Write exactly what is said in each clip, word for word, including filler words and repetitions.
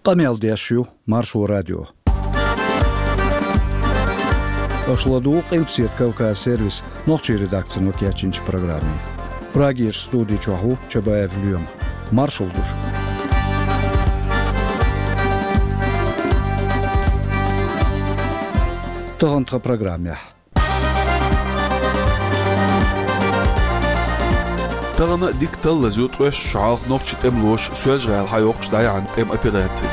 Къамел деш ю Маршо радио. Аша ладугӀу Къилбаседа Кавказ сервисан нохчийн редакцино кечйинчу программе. Прагерчу студи чохь ву Чабаев Лоьма. Маршалла ду шуьга. Тахана тхан программехь. Тахана дика таллаза ю ткъеста шо хьалха нохчийн тӀемалоша Соьлжа-ГӀала схьайоккхуш дӀаяьхьна тӀеман операци.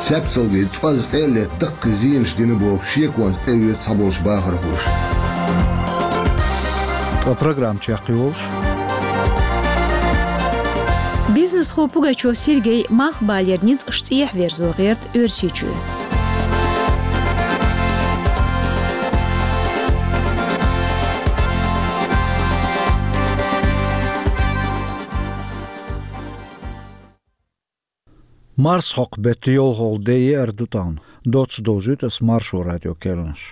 Цаьпцалгий цӀоз тӀе а летта, даккхий зенаш дина бохуш, шеконца тӀеоьцу цхьаболчу бахархоша. Ткъа программа чекхйолуш. Бизнесхо Пугачев Сергей малхбалера ницкъаш цӀехьа верзо гӀерта Оьрсийчоь. Марсхьокху беттан йолхалгӀа де еара ду тахана. Доцца довзуьйту ас Маршо радион керланаш.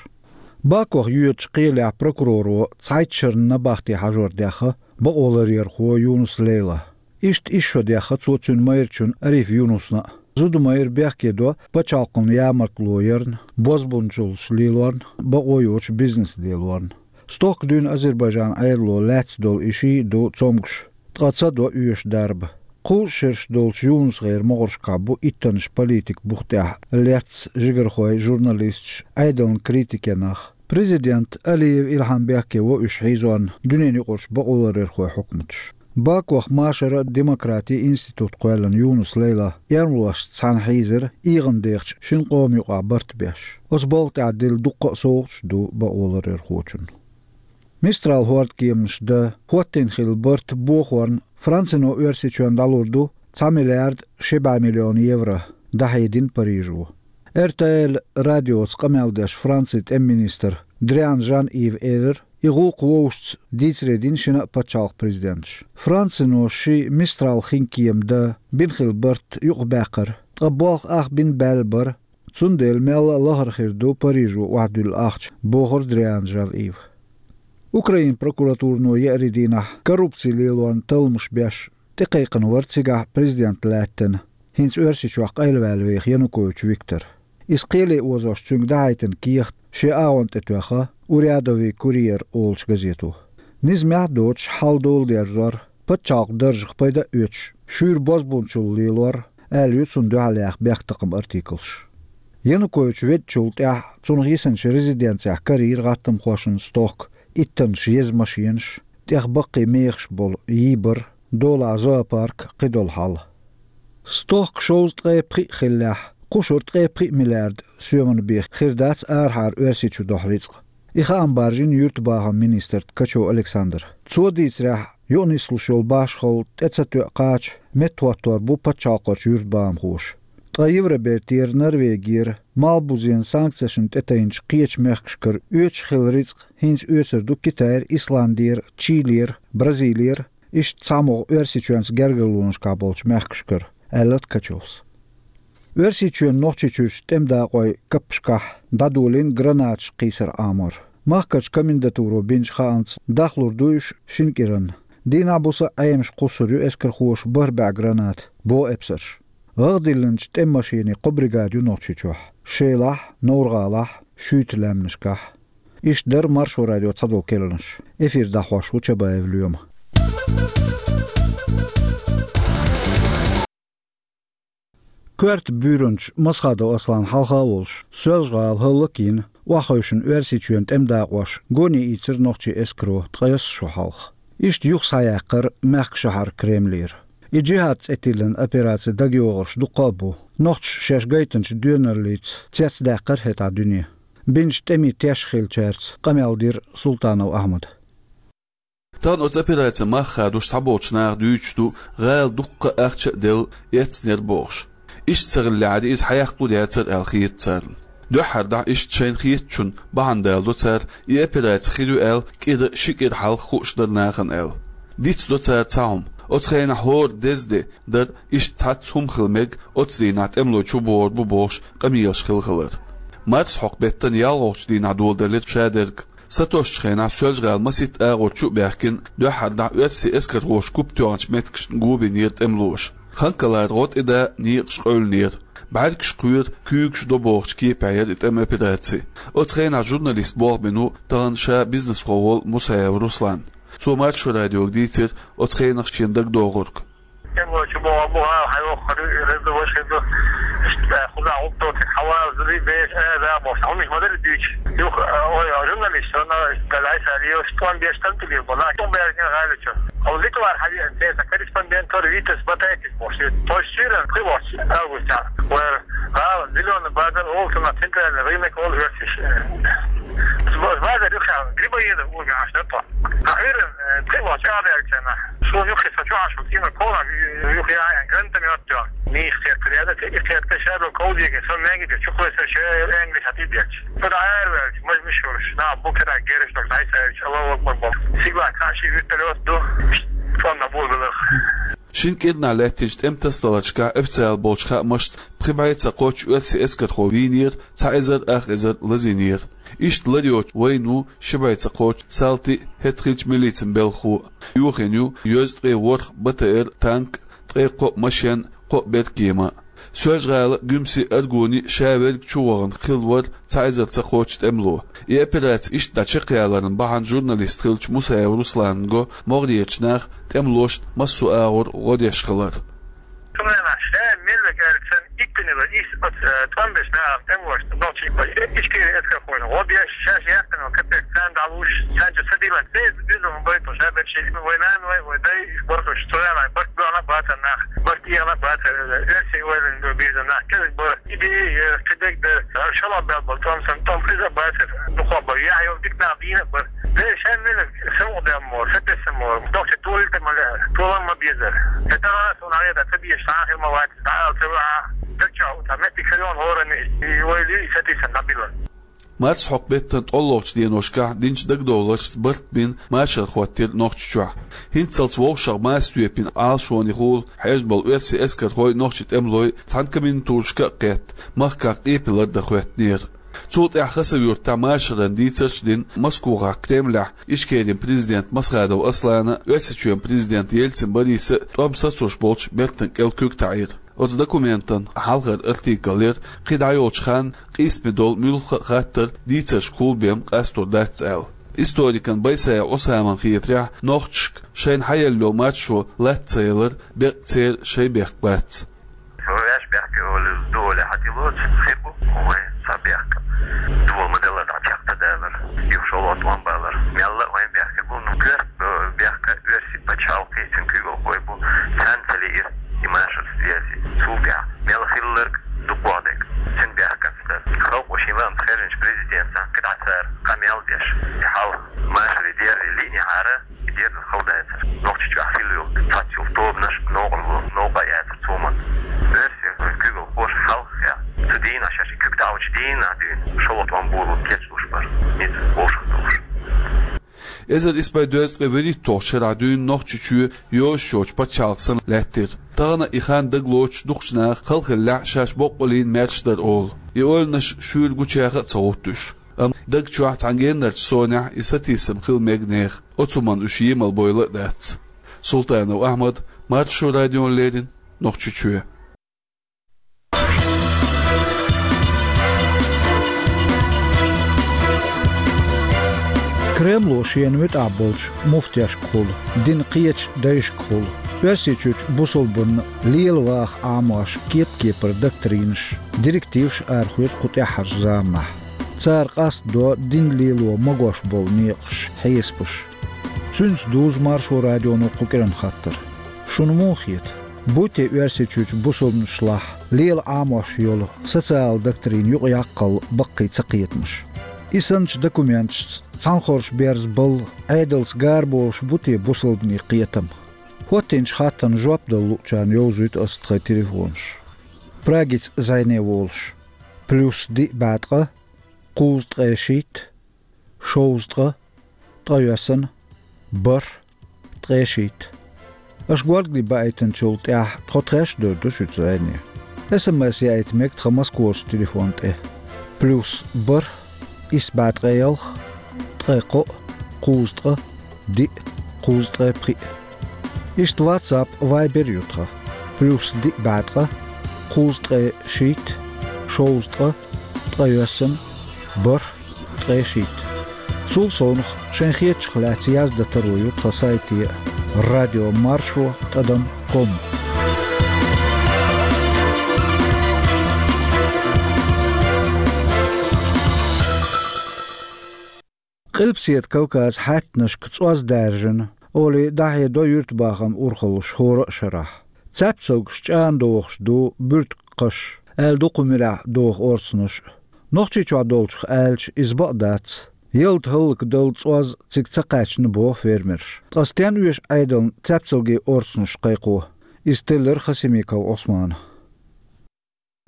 Бакух йоьдучу кхелехь прокуроро цхьайтта шарна набахте хьажор даьхна бакъоларъярхо Юнус Лейла. Иштта исс шо даьхна цо цуьнан майрачунна Ариф Юнусна а. Зуда майра бехке до пачхьалкхана ямартло ярна, бозбунчаллаш лелорна, бакъо йоцуш бизнес лелорна. Стохка дуьйна Азербайджанан Ӏедало лаьцна долу и шиъ а ду цомгуш, ткъа ца до оьшу дарба. Кхузткъа шераш долчу Юнусгеран могӀаршкахь бу иттаннаш политикан бух тӀехь лецна жигархой, журналисташ, Ӏедална критика ян нах. Президент Алиев Илхьам бехке во уьш хьийзорна дуьненан юкъарчу бакъоларъярхойн хьукматаш. Бакух машаран а, демократин а институт кхоьллина Юнус Лейла эрмалошца цхьаьна хьийзира ийгӀан дехачу шина къоман юкъахь барт беш. Оцу балха тӀехь дилла дуккха а совгӀаташ ду бакъоларъярхочунна. Мистрал хӀордкеманаш дан хӀоттийна хилла барт бохорна Францино Оьрсийчоьнна дӀалур ду цхьа миллиард ши бӀе миллион евро, дӀахьедина Парижо. Р Т Л радиоца къамел деш Францин тӀеман министра Дриан Жан-Ива элира, и гӀуллакх вовшашца дийцаре дина шина а пачхьалкхан президенташа. Францино ши Мистрал хинкема дан бина хилла барт юкъабаьккхира, ткъа болх ах бина баьлла бара, цундела мелла а лахара хир ду Парижо охьадуьллу ахча, бохура Дриан Жан-Ива. Украинан прокуратурано еарин дийнахь коррупци лелорна талламаш беш тӀекхайкхина вара цигахь президент лаьттина, хӀинца Оьрсийчохь къайлаваьлла веха Янукович Виктор. Иза кхеле озош цуьнга дӀахьайтина кехат шен агӀонна тӀе тоьхна «Урядовый курьер» олучу газето. Низамехь а доцуш хьал-дола дерзор, пачхьалкхан даржах пайда а оьцуш, шуьйра бозбунчалла лелор, аьлла ю цунна дуьхьал яьхна бехктакхаман артиклаш. Янукович веддачул тӀаьхьа цунах йисинчу резиденцехь карийра гӀаттамхошна стохка иттаннаш еза машенаш, тӀех баккхий мехаш болу йийбар, долахь зоопарк, кхидолу хьал. Стохка шовзткъе пхиъ хиллехь, кхушара ткъе пхиъ миллиард соьман бен хир дац арахьара Оьрсийчу дохьу рицкъ. И хаам баржийна юьртабахаман министра Ткачев Александра. Цо дийцарехь, юкъанислуш йолу башхалла тӀе ца тоьа кхача, меттахӀоттор бу пачхьалкхарчу юьртабахамхоша. Ткъа Евробертера, Норвегера, Малхбузена санкцешна тӀетайначу кхечу мехкашкара оьцуш хилла рицкъ хӀинца оьцур ду Китайра, Исландера, Чилера, Бразилера, иштта цхьамогӀа Оьрсийчоьнца гергарлонашкахь болчу мехкашкара, аьлла Ткачевс. Оьрсийчоьнан Нохчийчуьрчу тӀеман дакъойн каппашкахь дӀадолийна гранаташ кхийсар Ӏамор. Махкарчу комендатуро бинчу хаамца, дахлур ду уьш шина кӀиранна. Дийнахь-буса Ӏемаш кхуссур ю эскархоша бархӀ бӀе граната, боху эпсарша. ГӀагӀ диллинчу тӀеман машенийн кхо бригада ю Нохчийчохь: Шелахь, Новр-ГӀалахь, Шуьйта лаьмнашкахь. Иштта дара Маршо радион цхьадолу керланаш. Эфир дӀахьош ву Чабаев Лоьма. Коьрта буьйранчу Масхадов Асланна хьалха а волуш, Соьлжа-ГӀала хӀаллакйина, охьахевшина Оьрсийчоьнан тӀеман дакъош гоне ийцира нохчийн эскаро ткъайесна шо хьалха. Иштта юха схьаяьккхира мехкан шахьар Кремлера. И «Джихад» цӀе тиллина операци дагайогӀурш дуккха а бу. Нохчаша шаьш гайтинчу доьналлица цецдаьккхира хӀетахь дуьне. Бинчу тӀемийн теш хиллачаьрца къамел дира Султанов Ахьмада. Тахана оцу операцин мах хадош цхьаболчу наха дуьйцуш ду, гӀала дуккха а ахча а делла, эцнера бохуш. Иштта ца хиллехьара, иза хьаяккха а дацара аьлла хета царна. Дуьххьара дӀа иштта шайна хетачунна бахьана даладо цара, и операци хир ю аьлла, кӀира, ши кӀира хьалха хууш дара нахана аьлла. Дицдо цара цхьа хӀума. Оцу хенахь хӀора деза де дара, иштта цхьацца хӀума хила мега, оцу дийнахь тӀемалой чубогӀур бу бохуш къамелаш хилла хилар. Марсхьокху беттан ялхолгӀачу дийнахь доладелира шадерг. Сатоссучу хенахь Соьлжа-ГӀала масийтта агӀор чу а баьхкина, дуьххьара дӀа оьрсийн эскархоша куп тоьхначу меттигашна го бинера тӀемалоша. Ханкалара гӀо тӀе да, некъаш къевлинера. БӀаргаш кхоьру, куьйгаш до бохучу кепехь яра и тӀеман операци. Оцу хенахь журналист болх бина ву тахана ша бизнесхо волу Мусаев Руслан. Цо Маршо радиога дийцира оцу хенахь шена дагадогӀург. ТӀемалойчо боху, бу гӀала хьайоххур ю, и хир ду, важа хир ду. Иштта кхузахь гӀуллакх доцург хьавалаза ду, беш, э, да, боху. Хьуна ма-дарра дуьйцу. Юха, ой, журналист, сан, э, Галайса Алиевс, тӀом беш, тӀом тилийр бу, нах, тӀом баьржина гӀала чу. Хьо Литвара хьан веана, те, сан корреспондент вара, Витас Батайкис боху. Тхойш суьйрана, кхин боху, августехь. Вара гӀала, Зелёный базар, олу цунах центральный рынок, олу оьрсаша. Базар юххехь, Грибоедов угӀаш дара. Хьан уьйран, э, тхе вахча а даьлча нах. Суна юххе со чохь шу, кийма кхола, юххе а гранатомёт тё. Мийх кхетта ряда, те и кхетта шадо ковдиге, со мягиге, чухвесар шер энгли хати дерч. Пора аэр велч, маж мишурш, на букера гереш, так дай саевич, Аллаху Акбар бом. Сигла каши вертолёт ду, тонна бул белых. Шина кӀирнахь лаьттинчу тӀеман тасадаларшкахь официалан болчу хаамашца пхи бӀе ца кхоччу оьрсийн эскархо вийнера, цхьа эзар ах эзар лазийнера. Иштта лар йоцу вайна ву ши бӀе ца кхоччу салти а, хӀетахь хиллачу милицин белхахо а. Йохийна ю йоьзткъе ворхӀ БТР, танк, ткъе кхоъ машен, кхоъ беркема. Соьлжа-ГӀала, Гуьмсе, Аргуне ша верг чу вахана хилла вара цхьа эзар ца кхоччу тӀемало. И операци иштта дӀа чекхъяларна бахьана журналист хиллачу Мусаев Руслана го могӀарерчу наха тӀемалошна массо а агӀор гӀо деш хилар. Цундела ша меллиг аьлла санна, иттанила ис оцу, э, тӀом беш нахана тӀемалошна нохчий, Ичкери эскархойна гӀо деш, шаьш яьккхина капек царна дӀалуш, царна чу ца дилан, церан безам байту, ша берш вай нана вай, вай дай, бархуш, цу валай, барт дуьхьал бацар нах, барт тӀехьа бацар, оьрсийн ойланна бирзина нах, кӀезиг бара. Идея, кхидерг дара, хӀара шалахь бел бара, тӀом сан, тӀом хеза бацара, дукха бара, яхь йолу дика нах дийна а бара. Дера шайн меллиг, сан ву дем мо, сан тесна мо, дохча толита ма лаьара, толам ма безара. ХӀета а суна хьеда, ца безаш, сан хир ма вац, дӀа а ца ваьа, дагча а, ца метти хилон хӀоранна, и вай луьй, и сатийсан дӀабилла. Март хьокху беттан ткъолгӀачу деношкахь динчу дагадовларшца барт бина машар хӀоттийра Нохчийчохь. ХӀинццалц вовшах маса тоьпина Ӏалашонехула хьежна болу оьрсийн эскархой, нохчийн тӀемалой цхьана комендатурашка а кхетта, махках къепалар дан хӀоьттинера. Цул тӀаьхьа Хасав-Юртахь машаран дийцарш а дина Москвахь, Кремлехь Ичкерин президент Масхадов Аслана, Оьрсийчоьнан президент Ельцин Бориса а тӀом сацош болчу бертан кӀел куьг таӀийра. Оцу документан хьалхара артикл яра, кхин дӀайолчу ханна къийсаме долу муьлхха а хаттар дийцаршкахула бен къастор дац аьлла. Историкан Байсаев Ӏусаман хетарехь, нохчашка шайна хьаелла йолу маршо лаца ца ялар беккъа церан шайн бехк бац. Ваьш бехке олу, ду оле хьатилоцу, хир бу, вай ца бехке. Ду олу ма-делла дӀа чекхдалар, юха шолгӀа тӀом балар. Мелла а вайн бехке бу, ну, коьрта бехке оьрсийн пачхьалкхе, цуьнан куьйгалхой бу, царна ца лиира и машар связи. Цул тӀаьхьа мел хилларг дукхох дерг, цуьнан бехканца дара. Халкъо шен лаамца хаьржинчу президентан кхидӀа цара къамел деш, и хьал машаре дерри лиънехьара, и дерза хала дацара. Нохчийчохь хилла йолу цхьацца йолу тобанаш новкъарло, новкъа а яцара цо ма. Оьрсийн куьйгалхоша хьалха хеа. Цу дийнахь шаьш и куьг таӀочу дийнахь дуьйна, шолгӀа тӀом боло кечлуш бара, ницкъ вовшах долуш. Эзар исс бӀе дезткъе вуьрхӀитталгӀачу шарахь дуьйна Нохчийчоь йозуш йолчу пачхьалкх санна лаьттира. Тахана и хан дагалоцуш дукхачу наха хала хиллехь, шаьш боккъаллин маьрша дара олу. И ойланаш шуьйра гучаха а ца гӀуттуш. Амма даг чохь цхьана геннарчу сонехь и сатийсам хила мега нехан. Оцу хӀуманна уьш емал бойла а дац. Султанов Ахьмад, Маршо радиона леррина, Нохчийчоь. Кремло шена муьтӀахь болчу муфтешкахула, динан кхечу дайшкахула, Оьрсийчуьрчу бусалбанна лела ваха Ӏамош кеп-кепара доктринаш, директиваш арахоьцу кху тӀаьххьарчу заманахь. Цара къастадо дин лело магош болу некъаш, хьесапаш. Цуьнца дузу Маршо радионо кху кӀиран хаттар. Шуна муха хета? Буй те Оьрсийчуьрчу бусалбанашлахь лела Ӏамош йолу социал доктрина юкъаяккхал баккхий цакхетамаш? И санначу документашца цхьанхорш берза балла, Ӏедалца гараболуш бу те бусалбанийн кхетам? ХӀоттийначу хаттарна жоп дала луучарна йовзуьйту аса тхайн телефонаш. Прагица зӀене волуш: плюс диъ бӀе ткъа, кхузткъе шийтта, шовзткъа, ткъайоьсна, бархӀ, ткъе шийтта. Аша горгали баийтинчул тӀаьхьа тхо тхаьш а дойр ду шуьца зӀене. СМС яийта мега тхан Москварчу телефон тӀе: плюс бархӀ, исс бӀе ткъе ялх, ткъе кхоъ, кхузткъа, диъ, кхузткъе пхиъ. Иштта WhatsApp, Viber ю тхан. Плюс диъ бӀаь ткъа, кхузткъе шийтта, шовзткъа, ткъайоьсна, бархӀ, ткъе шийтта. Цул совнах шайн хетачух лаьцна яздан таро ю тхан сайте радио маршо тӀадам ком. Къилбаседа Кавказан хьаьттанашка цӀоз даьржина, олий, дӀахьедо юьртабахаман урхаллаш хӀора а шарахь. Цаьпцалгаш чӀагӀдохуш ду буьртиган кхаш, аьлла ду кху муьрехь доху орцанаш а. Нохчийчохь долчух аьлча, иза бакъ дац. Ялта хӀаллакдала цӀоз цига ца кхаьчна, боху фермерша. Ткъа стенна оьшу Ӏедална цаьпцалгийн орцанаш кхайкхо? Иза теллира Хасимиков Ӏусмана.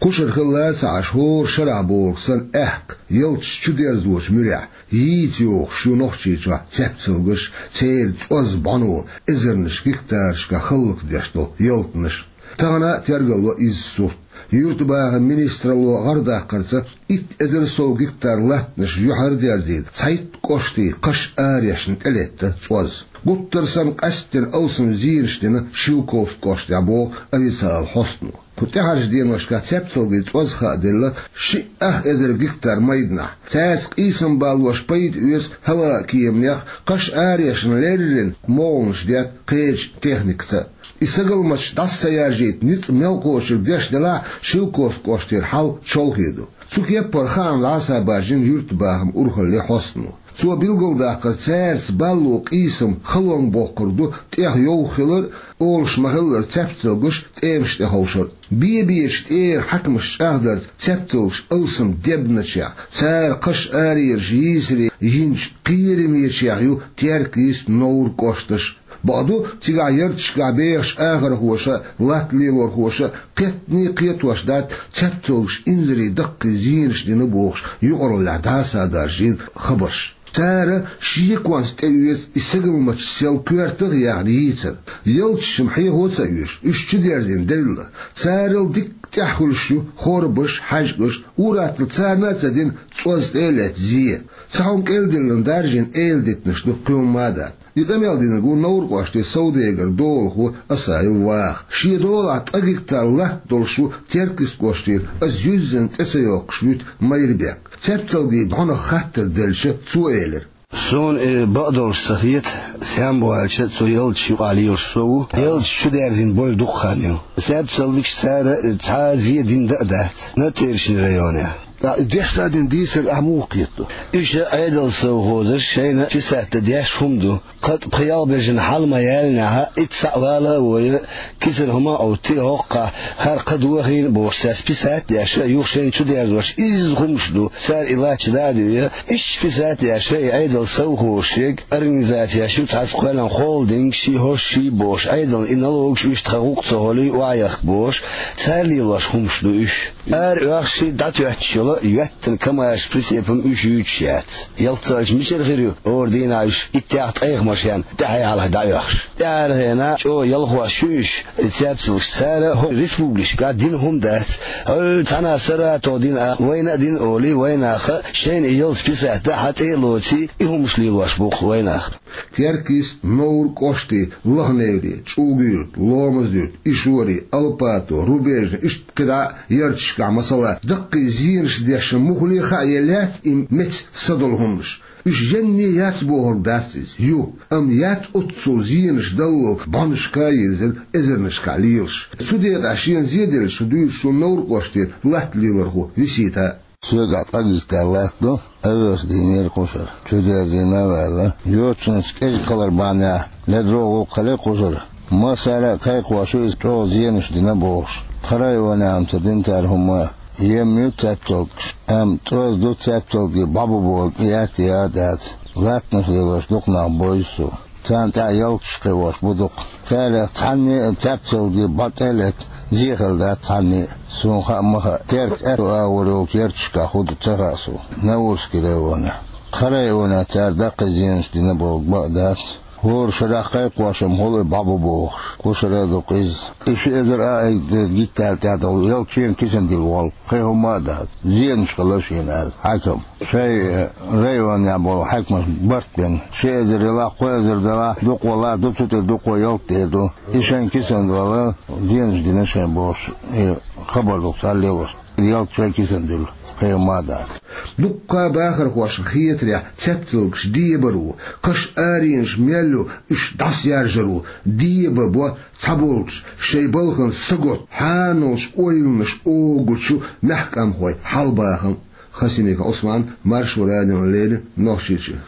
Кхушара хилла а ца Ӏаш, хӀора шарахь бохург санна, аьхка ялташ чудерзочу муьрехь йийца йогӀуш ю Нохчийчохь цаьпцалгаш, церан цӀоз бӀано, эзарнаш гектарашкахь хӀаллакдеш долу ялтанаш. Тахана а тергалло изза сурт. Юьртабахаман министралло гӀарадаккхарца, итт эзар сов гектар латтанаш юьхьар а дерзийна, цхьайтта кӀоштий кхаш араешна тӀелетта цӀоз. Гуттар санна, къаьсттина алсам зенаш дина Шелковски кӀоштехь, боху официалан хьостано. Кху тӀаьхьарчу деношкахь цаьпцалгийн цӀоз хааделла шиъ ах эзар гектар майданахь. Цаьрца къийсам балош пайда оьцу хӀаваан кеманех, кхаш араешна леррина могӀанаш детта кхечу техникаца. И сагалматаш дӀаса ца яржийта ницкъ мел кхочург деш делахь а, Шелковски кӀоштера хьал чолхе ду. Цу кеппара хаам дӀасабаржийна юьртабахаман урхаллин хьостано. Цо билгалдаккхар, цаьрца балло къийсам халонга боккхург ду тӀех йовха хилар а, олуш ма-хиллара, цаьпцалгаш тӀемаш тӀе ховшар а. Бе-бечу тӀера хьаькамаш чӀагӀдарца, цаьпцалгаш алсам дебначех, цара кхаш араераш йийсаре йинчу кхерамечех ю Теркйист, Новр кӀошташ. Бакъду, цигахь ярташкахь бехачу ахархоша а, латта лелорхоша а кхетта а кхетош дац цаьпцалгаш инзаре даккхий зенаш дина бохуш юкъараллехь дӀасадаржийна хабарш. Цара шеконца тӀеоьцу и сагалматаш сел коьртах а яьхна йийцар. Ялташ-м хьехо а ца оьшу, уьш чудерзийна делла. Царал дикка тӀаьхьа хуьлуш ю хорбаш, хьаьжкӀаш, ур-атталла царна а ца дина цӀоз тӀе а летта зе. Цхьа хӀума кӀел диллина даржийна эладитанаш ду, кхин хӀумма а дац. И къамел динарг ву Новр кӀоштан совдегар, долахо Асаев Ваха. Шен долахь ткъа гектар латта долуш ву Теркйист кӀоштера, аса юьззина цӀе ца йоккхуш вуьту Майрбек. Цаьпцалгийн бӀанах хаттар делча, цо элира: «Суна и бакъдолуш ца хета, сенна боху аьлча, цу ялташ юкъахь лелаш со ву. Ялташ чудерзийна бойла дукха хан ю. Цаьпцалгаш цара цхьа а зе дина дан а дац Натерчный районехь». ТӀаккха и дешна дина дийцар ахь муха кхетадо? Уьш Ӏедалан совхозаша шайна писать дан деш хӀума ду. Кхин тӀе пхи-ялх бежана хьал ма-яллинехь, итт схьа а вала а вой, кисана хӀума а Ӏоттий, хӀокхахь хӀара кхаъ дохийна бохуш, цаьрца писать а деш, юха шайна чудерзош изза хӀумаш ду, цара и латташ дӀа а дуьй, иштта писать а деш, и Ӏедалан совхозаш ерг, организацеш ю цхьацца кхоьллина, холдинг, ши хӀорш, ши бохуш, Ӏедална и налогаш уьш тхан гӀуллакх ца хилий охьаяхка бохуш, цара лелош хӀумаш ду уьш. Ара оьхуш, дӀатоьттуш йолу йоьттина КамАЗ прицепам уьш юьйцуш яц. Ялх ца хилча, мичара хир ю хӀора дийнахь уьш иттех-ткъех машен тӀаьхьа-хьалха дӀаоьхуш? ТӀаьхьархьа хенахь чӀогӀа ялхош ю уьш, и цаьпцалгаш, цара хӀокху республикашкахь дина хӀума дац. ХӀара цхьана Саратове дина а, вайна а дина олий, вайнаха шайна и ялта писать дан хьан тӀе а лоций, и хӀумаш лелош бу-кх вайнах. Теркйист, Новр кӀоштий, Лаха-Неври, ЧӀулга-Юьрт, Ломаз-Юьрт, Ишори, Алпато, Рубежный, иштта кхидӀа а ярташкахь, масала, даккхий зенаш дешна муххале а хаа елла яц и меца са долу хӀуманаш. Уьш енний яц бохург дац иза, ю, амма яц оццул зенаш даллал бӀанашка а йирзина эзарнашкахь лелаш. Цу декъехь шена зе деллачух дуьйцу шуна Новр кӀоштера латта лелорхо Висита. Соьгахь ткъа гектар латта ду, овес дийнера кхушара. Чудерзийна а ваьлла, йочанца кӀезиг хилар бахьанехь, ледара гӀуллакх хилла кхушара. Массара а кхайкхош ю иза, чӀогӀа зенаш дина бохуш. Тхан районехь-м ца дина цара хӀумма а. Ем ю цаьпцалгаш, амма цӀоз ду цаьпцалгий бӀо бу бохург яц а, яц а дац. Латтанаш лелош дукха нах бевза цо. Царна тӀехь ялташ кхиош бу дукха. Царах цхьанне а цаьпцалгий бӀо тӀе а летта зе хилла дац цхьанне а. Суна хаа ма хаьа, Терк аьтту агӀор йолчу ярташкахь хӀун ду ца хаьа суна, Наурский районехь. Тхан районехь цара даккхий зенаш дина бохург бакъ дац. ХӀора шарахь кхайкхош-м хул и бӀабу бохуш, кху шарахь ду-кх иза. И ши эзар а айда гектар тӀехь долу ялх чен кисана дилла волу, кхин хӀумма а дац, зенаш хилла шена аьлла хьаькам. Шайн, э, районехь болу хьаькамаш барт бина, ши эзар ялахь, кхо эзар далахь, дукха валахь, ду цу тӀе дукха, ялта тӀе ду. И шайн кисана долу зенаш дина шайн бохуш, и хабар ду-кх цара лелош. Ялта шайн кисана дуьллу, кхин хӀумма а дац. Дуккха а бахархошна хетарехь, цаьпталгаш дебар ву, кхаш аренаш мел ю, уьш дӀасаяржар ву, деба бо цхьаболчу шайн балхана сагот хьаналш ойланаш огучу мехкамхой хьалабахам. Хасимиков Ӏусман, Маршо радиона леррина, Нохчийчоь.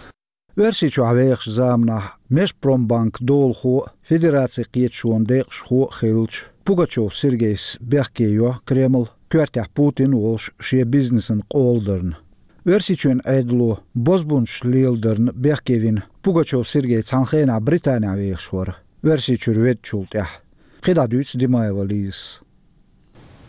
Оьрсийчохь вехачу заманахь Межпромбанк долахо а, Федерацин кхеташонан декъашхо а хиллачу Пугачёв Сергейс бехке йо Кремль, коьртехь Путин а волуш, шен бизнесан къола дарна. Оьрсийчоьнан Ӏедало бозбунчаш леладарна бехке вина Пугачёв Сергей цхьана хенахь Британехь вехаш вара, Оьрсийчуьра веддачул тӀаьхьа. КхидӀа дуьйцу Димаева Лизас.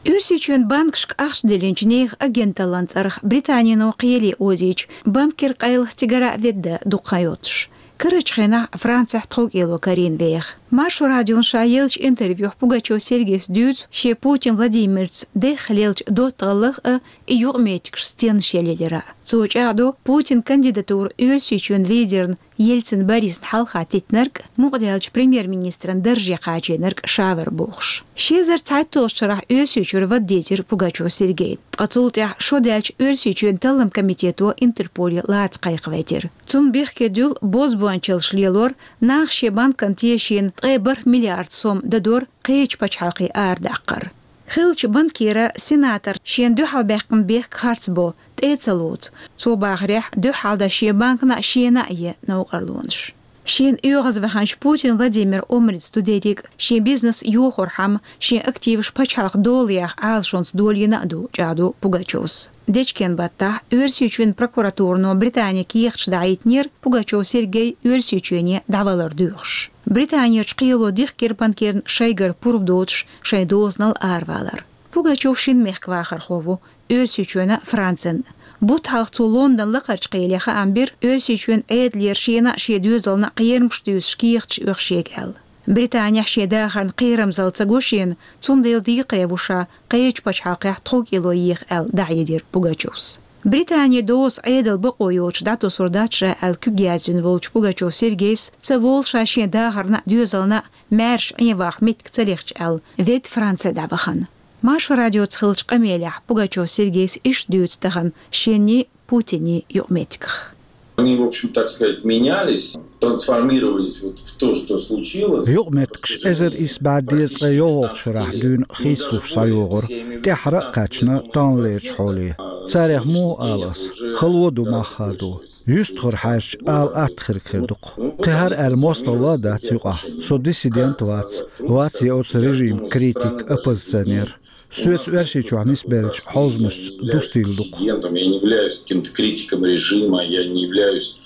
Оьрсийчоьнан банкашка ахча диллинчу нехан агенталлин цӀарах Британино кхеле озийча, банкера къайлаха цигара а ведда дукха хан йоцуш. Карарчу хенахь Францехь тховкӀело карийна веха. Маршо радиона ша еллачу интервьюхь Пугачёв Сергейс дуьйцу шен Путин Владимирца дехха леллачу доттагӀаллах а, и юкъаметтигаш стенна шен лелира. Цо чӀагӀдо, Путин кандидатура Оьрсийчоьнан лидерна Ельцин Борисна хьалха теттинарг, мукъадаьллачу премьер-министран дарже кхачийнарг ша вара бохуш. Ши эзар цхьайтталгӀачу шарахь Оьрсийчуьра вада дийзира Пугачёв Сергейна. Ткъа цул тӀаьхьа шо даьлча Оьрсийчоьнан таллам комитето Интерполе лаца кхайкхавайтира. Цунна бехке дуьллу бозбуанчаллаш лелор, наха шен банкана тешийна ткъе бархӀ миллиард сом дадор кхечу пачхьалкхе арадаккхар. Хиллачу банкера, сенатора шена дуьхьалбаьккхина бехк харцбо, тӀе а ца лоцу. Цо бахарехь, дуьххьалдан шен банкана а, шена а е новкъарлонаш. Шена оьгӀазваханчу Путин Владимиран омрица ду дерриг а, шен бизнес йохорхьама, шен активаш пачхьалкхан долаех Ӏалашонца долийна а ду, чӀагӀдо Пугачёвс. Дечкен баттахь Оьрсийчоьнан прокуратурано Британе кехаташ дахьийтинера Пугачёв Сергей Оьрсийчоьне дӀавалар доьхуш. Британерчу кхело дихкира банкерна шайгара пурба доцуш шайн дозанал аравалар. Пугачёв шина мехкан вахархо ву, Оьрсийчоьнан а, Францин а. Бутт хьалха цо Лондон лакхарчу кхеле хаам бира Оьрсийчоьнан Ӏедалера шена а, шен доьзална а кхерамаш туьйсуш кехаташ оьху шега аьлла. Британехь шен дахарна кхерамзалла ца го шена, цундела декхаре ву ша кхечу пачхьалкхехь тховкӀело еха аьлла, дӀахьедира Пугачёвс. Британин доза Ӏедалан бакъо йоцуш дӀатосур дац ша аьлла куьг яздина волчу Пугачёв Сергейс ца волу ша шен дахарна а, доьзална а маьрша Ӏен ваха меттиг ца лехча аьлла, ведда Франце дӀавахана. Маршо радиоца хиллачу къамелехь Пугачёв Сергейс иштта дуьйцу тахана шенний, Путинний юкъаметтигах. Они, в общем, так сказать, менялись, трансформировались вот в то, что случилось. Юкъаметтигаш эзар исс бӀе дезткъе йолхалгӀачу шарахь дуьйна хийцалуш схьайогӀура, тӀаьххьара а кхаьчна таханлерчу хьоле. Царех муха ала ас, хало ду мах хадо. Юьстахара хьаьжча, ала атта хирг хир ду-кх. Кхин хӀара аьлла мостагӀалла а дац юкъахь. Со диссидент вац, вац я оцу режиман критик, оппозиционер. Соьца Оьрсийчохь нисбеллачу хьовзамашца дустийла ду-кх. Диссидентом я не являюсь каким-то критиком режима, я не являюсь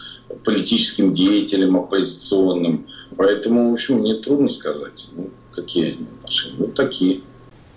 политическим деятелем оппозиционным. Поэтому, в общем, мне трудно сказать, ну, какие они отношения. Вот такие.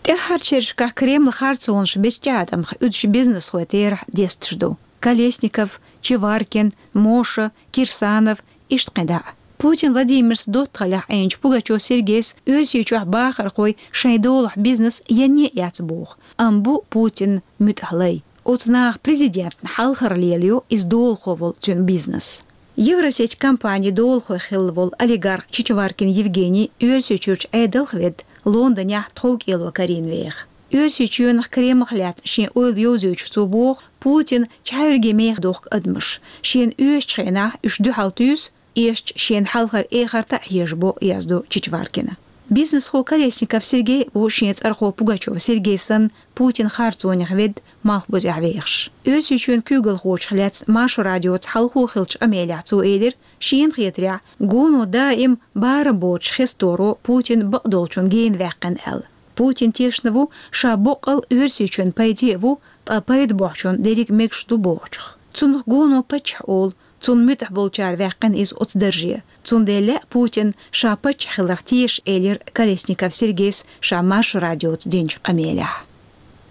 ТӀаьххьарчу шерашкахь Кремлан харцонаш бечу тӀеӀаткъамах уьдуш бизнесхой терахь десташ ду. Колесников, Чеваркин, Моша, Кирсанов, иштта кхин дӀа а. Путин Владимирца доттагӀаллехь Ӏийначу Пугачёв Сергейс Оьрсийчохь бахархой шайн долахь бизнес енне а яц боху, амма бу Путинан муьтӀахь лай. Оцу наха президентна хьалхара лелайо иза долахо волу цуьнан бизнес. Евросеть компанин долахой хилла волу олигарх Чичваркин Евгений Оьрсийчуьрчу Ӏедалх ведда Лондонехь тховкӀело карийна веха. Оьрсийчоьнах, Кремлах лаьцна шен ойла йовзуьйтуш цо боху, Путина чхьаьвриге меха дохку адамаш. Шена оьшучу хенахь уьш дуьхьал туьйсу, эшча шена хьалхара эхарта а хьежабо, яздо Чичваркина. Бизнесхо Колесников Сергей ву шен цӀархо Пугачёв Сергей санна Путинан харцонех ведда, малхбузехь вехаш. Оьрсийчоьнан куьйгалхочух лаьцна Маршо радиоца хьалхо хиллачу къамелехь цо элира, шена хетарехь, гоно даим барам боцуш хесторо Путин бакъдолчунна гена ваьккхина аьлла. Путин тешна ву, ша боккъал Оьрсийчоьнан пайде а ву, ткъа пайда бохьучунна дерриг мегаш ду бохучух. Цунах гоно паччахь олу, цунна муьтӀахь болчара ваьккхина иза оцу дарже. Цундела лаьа Путинна ша паччахь хиларх теша, элира Колесников Сергейс ша Маршо радиоца динчу къамелехь.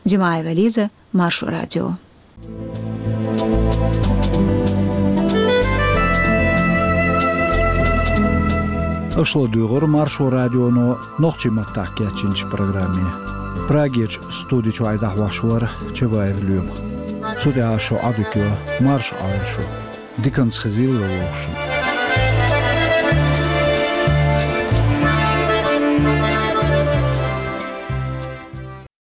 Димаева Лиза, Маршо радио. Аша ладугӀура Маршо радионо нохчийн маттахь кечйинчу программе. Прагерчу студи чохь дӀахьош вара Чабаев Лоьма. Цу тӀехь шун Ӏадика йо, марша Ӏойла шу. Диканца хезийла вовшашна.